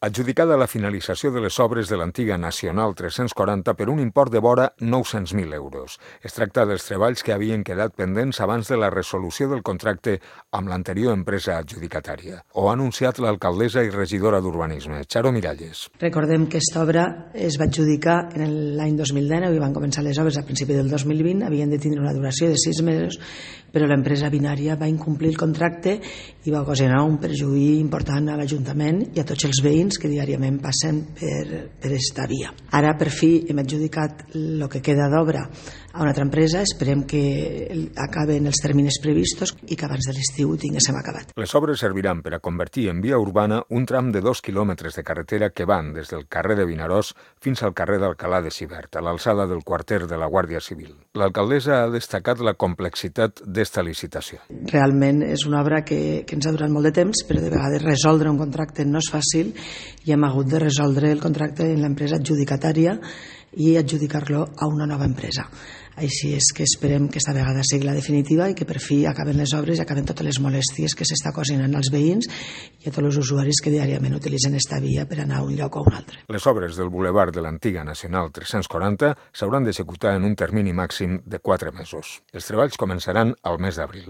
Adjudicada la finalització de les obres de l'antiga Nacional 340 per un import de vora 900.000 euros. Es tracta dels treballs que havien quedat pendents abans de la resolució del contracte amb l'anterior empresa adjudicatària. Ho ha anunciat l'alcaldessa i regidora d'Urbanisme, Charo Miralles. Recordem que aquesta obra es va adjudicar en l'any 2019 i van començar les obres a principi del 2020, havien de tindre una duració de 6 mesos, però l'empresa binària va incomplir el contracte i va ocasionar un perjuí important a l'Ajuntament i a tots els veïns que diàriament passen per esta via. Ara, per fi, hem adjudicat el que queda d'obra a una altra empresa. Esperem que acaben els terminis previstos i que abans de l'estiu ho tinguéssim acabat. Les obres serviran per a convertir en via urbana un tram de 2 quilòmetres de carretera que van des del carrer de Vinaròs fins al carrer d'Alcalà de Xivert, a l'alçada del quarter de la Guàrdia Civil. L'alcaldessa ha destacat la complexitat d'esta licitació. Realment és una obra que ens ha durat molt de temps, però de vegades resoldre un contracte no és fàcil i hem hagut de resoldre el contracte en l'empresa adjudicatària i adjudicar-lo a una nova empresa. Així és que esperem que esta vegada sigui la definitiva i que per fi acaben les obres i acaben totes les molèsties que s'està ocasionant als veïns i a tots els usuaris que diàriament utilitzen esta via per anar a un lloc o a un altre. Les obres del bulevard de l'antiga Nacional 340 s'hauran d'executar en un termini màxim de 4 mesos. Els treballs començaran al mes d'abril.